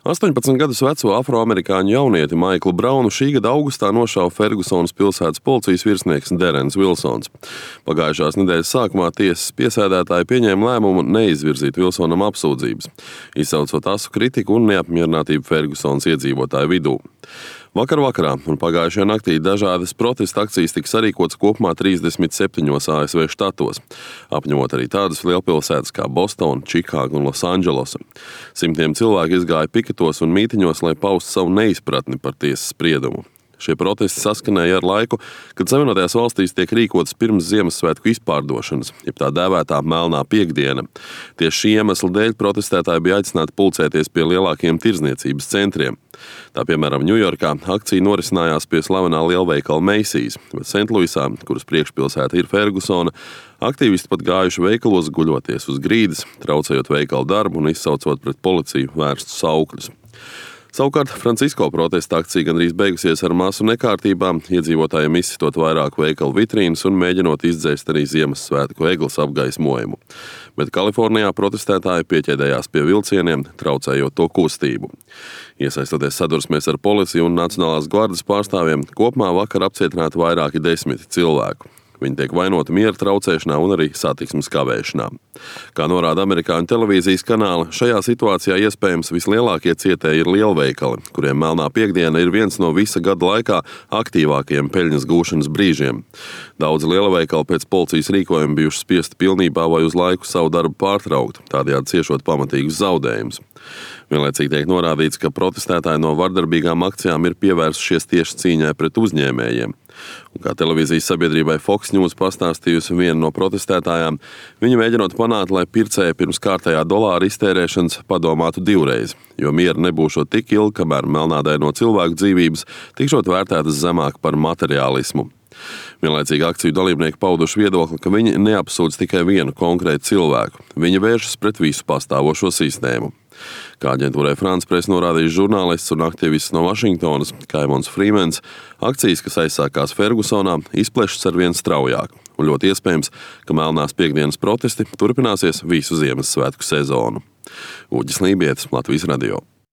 18 gadus veco afroamerikāņu jaunieti Maiklu Braunu šī gada augustā nošāva Fergusonas pilsētas policijas virsnieks Derens Vilsons. Pagājušās nedēļas sākumā tiesas piesēdētāji pieņēma lēmumu neizvirzīt Vilsonam apsūdzības, izsaucot asu kritiku un neapmierinātību Fergusonas iedzīvotāju vidū. Vakar vakarā un pagājušajā naktī dažādas protesta akcijas tika sarīkotas kopumā 37 ASV štatos, apņemot arī tādas lielpilsētas kā Bostona, Čikāga un Losandželosa. Simtiem cilvēku izgāja piketos un mītiņos, lai paustu savu neizpratni par tiesas spriedumu. Šie protesti saskanēja ar laiku, kad Savienotajās valstīs tiek rīkotas pirms Ziemassvētku izpārdošanas, jeb tā dēvētā melnā piektdiena. Tieši šī iemesla dēļ protestētāji bija aicināti pulcēties pie lielākiem tirdzniecības centriem. Tā piemēram Ņujorkā akcija norisinājās pie slavenā lielveikala Macy's, bet Sentluisā, kuras priekšpilsēta ir Fergusona, aktīvisti pat gājuši veikalos guļoties uz grīdas, traucējot veikalu darbu un izsaucot pret policiju vērstus saukļus. Savukārt Francisko protesta akcija gandrīz beigusies ar masu nekārtībām, iedzīvotājiem izsitot vairāku veikalu vitrīnas un mēģinot izdzēst arī Ziemassvētku egles apgaismojumu. Bet Kalifornijā protestētāji pieķēdējās pie vilcieniem, traucējot to kustību. Iesaistoties sadursmēs ar policiju un Nacionālās gvardes pārstāvjiem, kopumā vakar apcietināti vairāki 10 cilvēku. Viņi tiek vainoti miera traucēšanā un arī satiksmes kavēšanā. Kā norāda amerikāņu televīzijas kanāli, šajā situācijā iespējams vislielākie cietēji ir lielveikali, kuriem melnā piektdiena ir viens no visa gada laikā aktīvākajiem peļņas gūšanas brīžiem. Daudzi lielveikali pēc policijas rīkojuma bijuši spiesti pilnībā vai uz laiku savu darbu pārtraukt, tādējādi ciešot pamatīgus zaudējumus. Vienlaicīgi tiek norādīts, ka protestētāji no vardarbīgām akcijām ir pievērsušies tieši cīņai pret uzņēmējiem. Un kā televīzijas sabiedrībai Fox News pastāstījusi viena no protestētājām, viņa mēģinot panākt, lai pircēji pirms kārtējā dolāra iztērēšanas padomātu divreiz, jo miera nebūšot tik ilgi, kamēr melnādaino cilvēku dzīvības tikšot vērtētas zemāk par materiālismu. Vienlaicīgi akciju dalībnieki pauduši viedokli, ka viņi neapsūdz tikai vienu konkrētu cilvēku. Viņi vēršas pret visu pastāvošo sistēmu. Kā aģentūrai France Press norādījis žurnālists un aktīvists no Vašingtonas Kaimons Frīmens, akcijas, kas aizsākās Fergusonā, izplešas arvien straujāk. Un ļoti iespējams, ka melnās piektdienas protesti turpināsies visu Ziemassvētku sezonu. Uģis Lībietis, Latvijas radio.